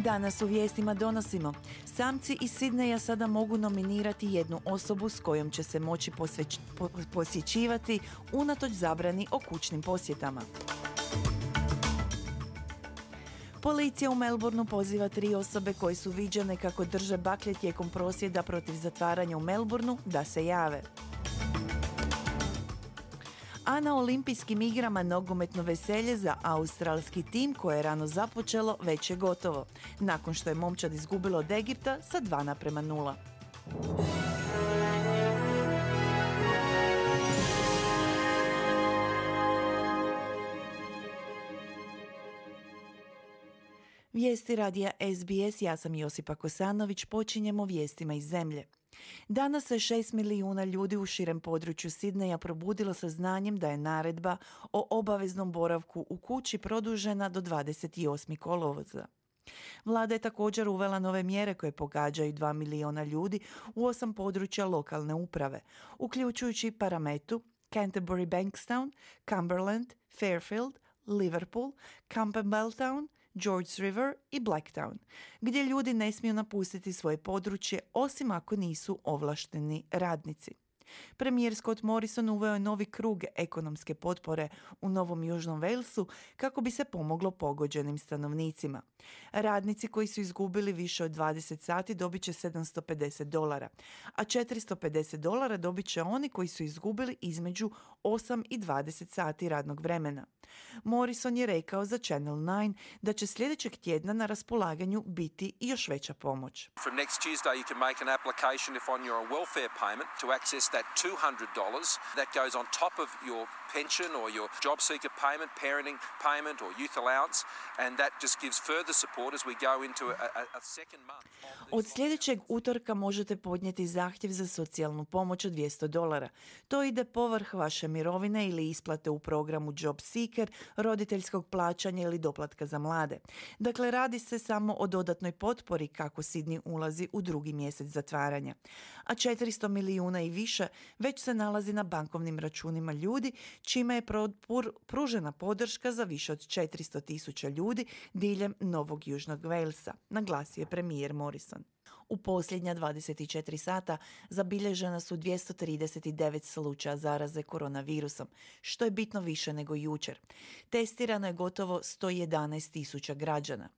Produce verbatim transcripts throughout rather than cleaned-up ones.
Danas u vijestima donosimo: samci iz Sidneja sada mogu nominirati jednu osobu s kojom će se moći posveć, po, posjećivati unatoč zabrani o kućnim posjetama. Policija u Melbourneu poziva tri osobe koje su viđene kako drže baklje tijekom prosvjeda protiv zatvaranja u Melbourneu da se jave. A na olimpijskim igrama nogometno veselje za australski tim koje je rano započelo već je gotovo, nakon što je momčad izgubilo od Egipta sa dva naprema nula. Vijesti radija S B S, ja sam Josipa Kosanović, počinjemo vijestima iz zemlje. Danas se šest milijuna ljudi u širem području Sidneja probudilo sa znanjem da je naredba o obaveznom boravku u kući produžena do dvadeset osmog kolovoza. Vlada je također uvela nove mjere koje pogađaju dva milijuna ljudi u osam područja lokalne uprave, uključujući Parametu, Canterbury Bankstown, Cumberland, Fairfield, Liverpool, Campbelltown, Georges River i Blacktown, gdje ljudi ne smiju napustiti svoje područje osim ako nisu ovlašteni radnici. Premijer Scott Morrison uveo je novi krug ekonomske potpore u Novom Južnom Walesu kako bi se pomoglo pogođenim stanovnicima. Radnici koji su izgubili više od dvadeset sati dobit će sedamsto pedeset dolara, a četiristo pedeset dolara dobit će oni koji su izgubili između osam i dvadeset sati radnog vremena. Morrison je rekao za Channel nine da će sljedećeg tjedna na raspolaganju biti i još veća pomoć. From next Tuesday you can make an application if on your welfare payment to access that two hundred dollars that goes on top of your pension or your job seeker payment, parenting payment or youth allowance, and that just gives further support as we go into a, a, a second month. Od sljedećeg utorka možete podnijeti zahtjev za socijalnu pomoć od dvjesto dolara. To ide povrh vaše mirovine ili isplate u programu Job Seeker, roditeljskog plaćanja ili doplatka za mlade. Dakle, radi se samo o dodatnoj potpori kako Sidney ulazi u drugi mjesec zatvaranja. A četiristo milijuna i više već se nalazi na bankovnim računima ljudi, čime je pružena podrška za više od četiristo tisuća ljudi diljem Novog Južnog Walesa, naglasio je premijer Morrison. U posljednja dvadeset četiri sata zabilježena su dvjesto trideset devet slučaja zaraze koronavirusom, što je bitno više nego jučer. Testirano je gotovo sto jedanaest tisuća građana.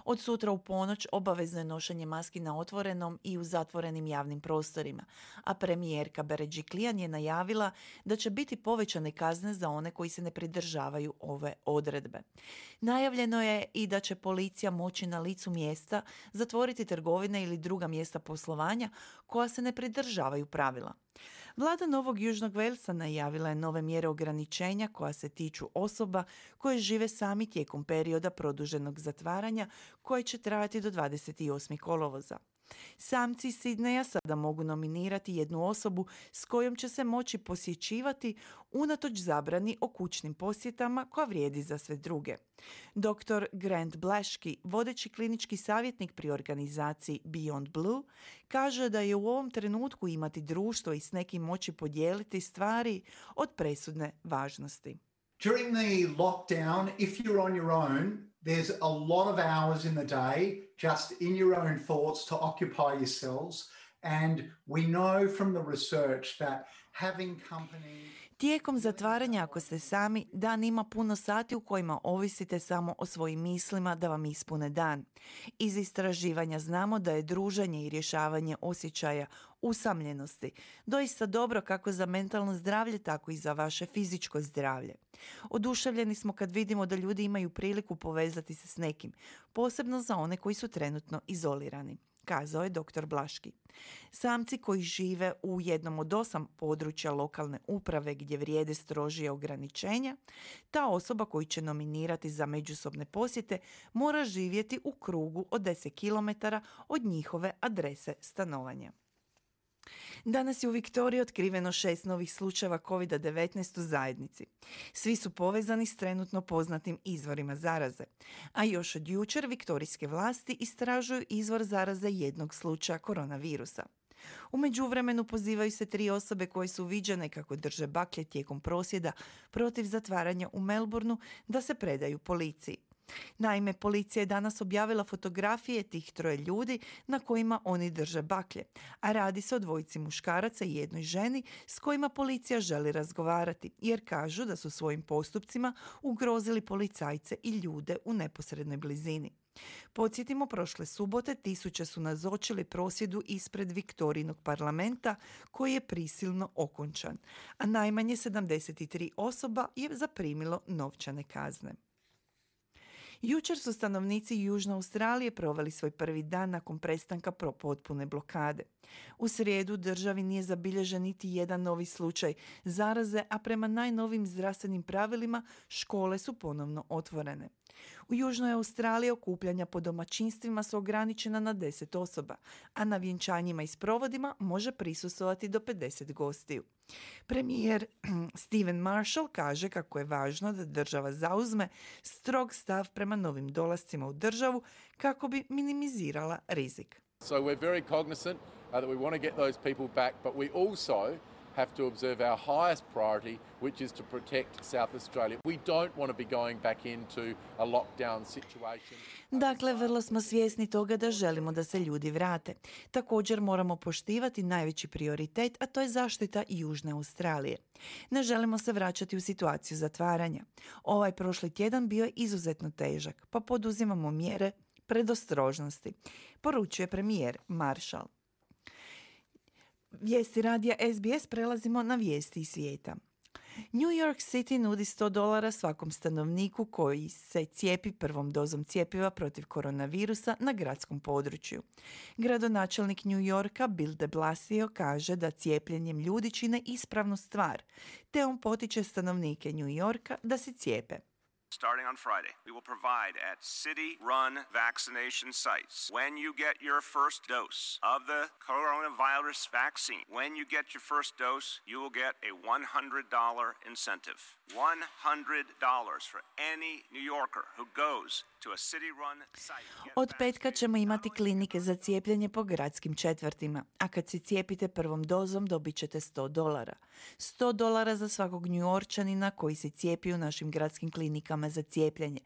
Od sutra u ponoć obavezno je nošenje maski na otvorenom i u zatvorenim javnim prostorima, a premijerka Berejiklian je najavila da će biti povećane kazne za one koji se ne pridržavaju ove odredbe. Najavljeno je i da će policija moći na licu mjesta zatvoriti trgovine ili druga mjesta poslovanja koja se ne pridržavaju pravila. Vlada Novog Južnog Walesa najavila je nove mjere ograničenja koja se tiču osoba koje žive sami tijekom perioda produženog zatvaranja koje će trajati do dvadeset osmog kolovoza. Samci iz Sidneja sada mogu nominirati jednu osobu s kojom će se moći posjećivati unatoč zabrani o kućnim posjetama koja vrijedi za sve druge. doktor Grant Blaschke, vodeći klinički savjetnik pri organizaciji Beyond Blue, kaže da je u ovom trenutku imati društvo i s nekim moći podijeliti stvari od presudne važnosti. During the lockdown, if you're on your own, there's a lot of hours in the day just in your own thoughts to occupy yourselves. And we know from the research that having company... Tijekom zatvaranja, ako ste sami, dan ima puno sati u kojima ovisite samo o svojim mislima da vam ispune dan. Iz istraživanja znamo da je druženje i rješavanje osjećaja usamljenosti doista dobro kako za mentalno zdravlje, tako i za vaše fizičko zdravlje. Oduševljeni smo kad vidimo da ljudi imaju priliku povezati se s nekim, posebno za one koji su trenutno izolirani, kazao je doktor Blaschke. Samci koji žive u jednom od osam područja lokalne uprave gdje vrijede strožije ograničenja, ta osoba koju će nominirati za međusobne posjete mora živjeti u krugu od deset kilometara od njihove adrese stanovanja. Danas je u Viktoriji otkriveno šest novih slučajeva kovid devetnaest u zajednici. Svi su povezani s trenutno poznatim izvorima zaraze. A još od jučer viktorijske vlasti istražuju izvor zaraze jednog slučaja koronavirusa. U međuvremenu pozivaju se tri osobe koje su viđene kako drže baklje tijekom prosvjeda protiv zatvaranja u Melbourneu da se predaju policiji. Naime, policija je danas objavila fotografije tih troje ljudi na kojima oni drže baklje, a radi se o dvojici muškaraca i jednoj ženi s kojima policija želi razgovarati, jer kažu da su svojim postupcima ugrozili policajce i ljude u neposrednoj blizini. Podsjetimo, prošle subote tisuće su nazočili prosvjedu ispred Viktorijinog parlamenta koji je prisilno okončan, a najmanje sedamdeset tri osoba je zaprimilo novčane kazne. Jučer su stanovnici Južne Australije proveli svoj prvi dan nakon prestanka potpune blokade. U srijedu državi nije zabilježen niti jedan novi slučaj zaraze, a prema najnovim zdravstvenim pravilima škole su ponovno otvorene. U Južnoj Australiji okupljanja po domaćinstvima su ograničena na deset osoba, a na vjenčanjima i sprovodima može prisustvovati do pedeset gostiju. Premijer Stephen Marshall kaže kako je važno da država zauzme strog stav prema novim dolascima u državu kako bi minimizirala rizik. So we're very cognizant uh, that we want to get those people back, but we also have to observe our highest priority, which is to protect South Australia. We don't want to be going back into a lockdown situation. Dakle, vrlo smo svjesni toga da želimo da se ljudi vrate. Također moramo poštivati najveći prioritet, a to je zaštita Južne Australije. Ne želimo se vraćati u situaciju zatvaranja. Ovaj prošli tjedan bio je izuzetno težak, pa poduzimamo mjere predostrožnosti, poručuje premijer Marshall. Vijesti radija S B S, prelazimo na vijesti iz svijeta. New York City nudi sto dolara svakom stanovniku koji se cijepi prvom dozom cjepiva protiv koronavirusa na gradskom području. Gradonačelnik New Yorka Bill de Blasio kaže da cijepljenjem ljudi čine ispravnu stvar, te on potiče stanovnike New Yorka da se cijepe. Starting on Friday, we will provide at city-run vaccination sites. When you get your first dose of the coronavirus vaccine, when you get your first dose, you will get a one hundred dollars incentive. one hundred dollars for any New Yorker who goes to a city-run site. Od petka ćemo imati klinike za cijepljenje po gradskim četvrtima, a kad se cijepite prvom dozom dobit ćete sto dolara. sto dolara za svakog Njujorčanina koji se cijepi u našim gradskim klinikama za cijepljenje.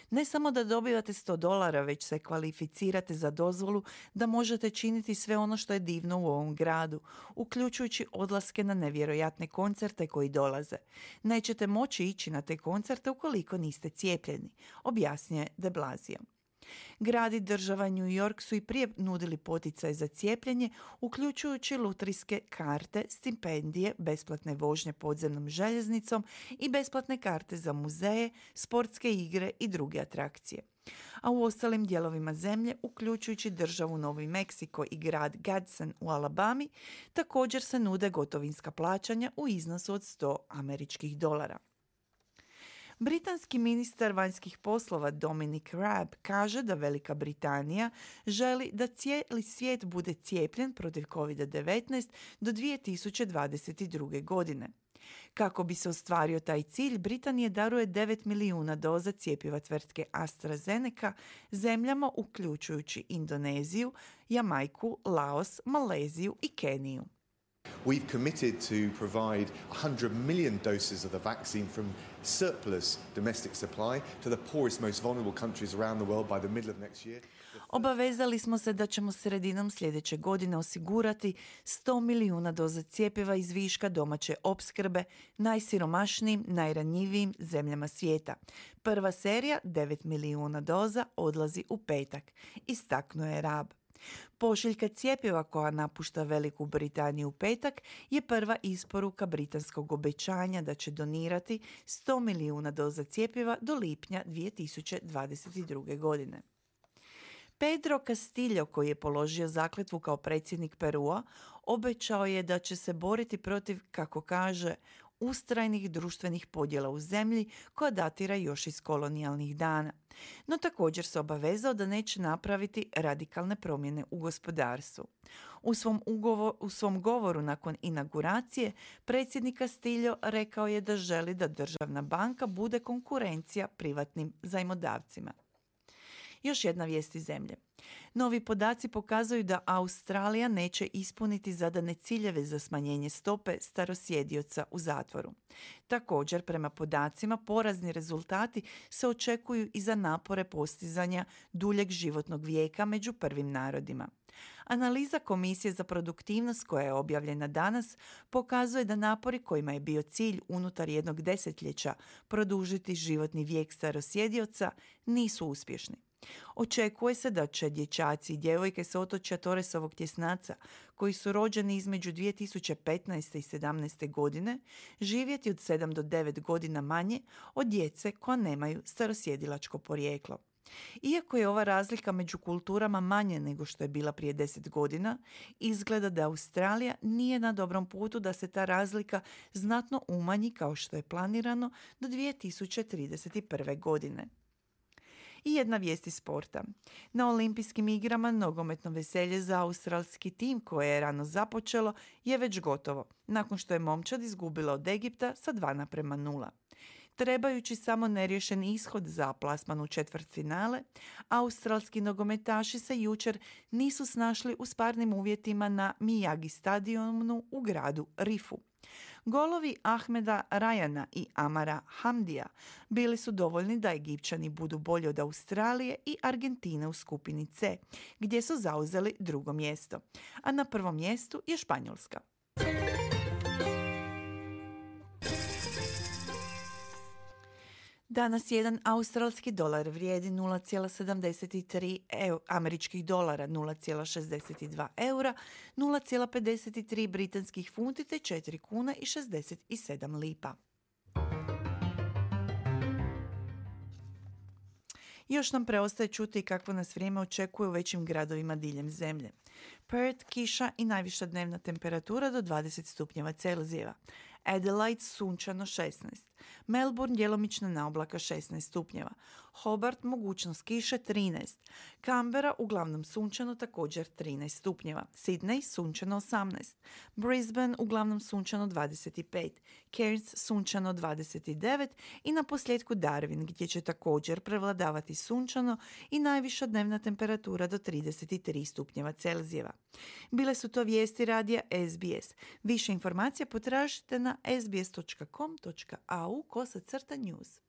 Ne samo da dobivate sto dolara, već se kvalificirate za dozvolu da možete činiti sve ono što je divno u ovom gradu, uključujući odlaske na nevjerojatne koncerte koji dolaze. Nećete moći ići na te koncerte ukoliko niste cijepljeni, objasnjuje de Blasio. Grad i država New York su i prije nudili poticaj za cijepljenje, uključujući lutrijske karte, stipendije, besplatne vožnje podzemnom željeznicom i besplatne karte za muzeje, sportske igre i druge atrakcije. A u ostalim dijelovima zemlje, uključujući državu Novi Meksiko i grad Gadsden u Alabami, također se nude gotovinska plaćanja u iznosu od sto američkih dolara. Britanski ministar vanjskih poslova Dominic Raab kaže da Velika Britanija želi da cijeli svijet bude cijepljen protiv covid devetnaest do dvije tisuće dvadeset druge. godine. Kako bi se ostvario taj cilj, Britanija daruje devet milijuna doza cjepiva tvrtke AstraZeneca zemljama uključujući Indoneziju, Jamajku, Laos, Maleziju i Keniju. We've committed to provide one hundred million doses of the vaccine from surplus domestic supply to the poorest, most vulnerable countries around the world by the middle of next year. Obavezali smo se da ćemo sredinom sljedeće godine osigurati sto milijuna doza cjepiva iz viška domaće opskrbe najsiromašnijim, najranjivijim zemljama svijeta. Prva serija, devet milijuna doza, odlazi u petak, istaknuo je Raab. Pošiljka cjepiva koja napušta Veliku Britaniju u petak je prva isporuka britanskog obećanja da će donirati sto milijuna doza cjepiva do lipnja dvije tisuće dvadeset druge. godine. Pedro Castillo, koji je položio zakletvu kao predsjednik Perua, obećao je da će se boriti protiv, kako kaže, ustrajnih društvenih podjela u zemlji koja datira još iz kolonijalnih dana. No također se obavezao da neće napraviti radikalne promjene u gospodarstvu. U svom, ugovor, u svom govoru nakon inauguracije predsjednik Castillo rekao je da želi da državna banka bude konkurencija privatnim zajmodavcima. Još jedna vijest iz zemlje. Novi podaci pokazuju da Australija neće ispuniti zadane ciljeve za smanjenje stope starosjedioca u zatvoru. Također, prema podacima, porazni rezultati se očekuju i za napore postizanja duljeg životnog vijeka među prvim narodima. Analiza Komisije za produktivnost koja je objavljena danas pokazuje da napori kojima je bio cilj unutar jednog desetljeća produžiti životni vijek starosjedioca nisu uspješni. Očekuje se da će dječaci i djevojke s otočja Torresovog tjesnaca, koji su rođeni između dvije tisuće petnaeste i sedamnaeste godine, živjeti od sedam do devet godina manje od djece koja nemaju starosjedilačko porijeklo. Iako je ova razlika među kulturama manje nego što je bila prije deset godina, izgleda da Australija nije na dobrom putu da se ta razlika znatno umanji kao što je planirano do dvije tisuće trideset prve. godine. I jedna vijest iz sporta. Na olimpijskim igrama nogometno veselje za australski tim koje je rano započelo je već gotovo, nakon što je momčad izgubila od Egipta sa dva naprema nula. Trebajući samo neriješen ishod za plasman u četvrtfinale, australski nogometaši se jučer nisu snašli u sparnim uvjetima na Miyagi stadionu u gradu Rifu. Golovi Ahmeda Rajana i Amara Hamdija bili su dovoljni da Egipćani budu bolji od Australije i Argentine u skupini C, gdje su zauzeli drugo mjesto, a na prvom mjestu je Španjolska. Danas jedan australski dolar vrijedi nula zarez sedamdeset tri američkih dolara, nula zarez šezdeset dva eura, nula zarez pedeset tri britanskih funti te četiri kune i šezdeset sedam lipa. Još nam preostaje čuti kakvo nas vrijeme očekuje u većim gradovima diljem zemlje. Perth, kiša i najviša dnevna temperatura do dvadeset stupnjeva Celzijeva. Adelaide sunčano šesnaest. Melbourne djelomično na oblaka šesnaest stupnjeva. Hobart mogućnost kiše trinaest. Canberra uglavnom sunčano također trinaest stupnjeva. Sydney sunčano osamnaest. Brisbane uglavnom sunčano dvadeset pet. Cairns sunčano dvadeset devet i na posljedku Darwin gdje će također prevladavati sunčano i najviša dnevna temperatura do trideset tri stupnjeva Celzijeva. Bile su to vijesti radija S B S. Više informacija potražite na sbs dot com dot au kosa crta news.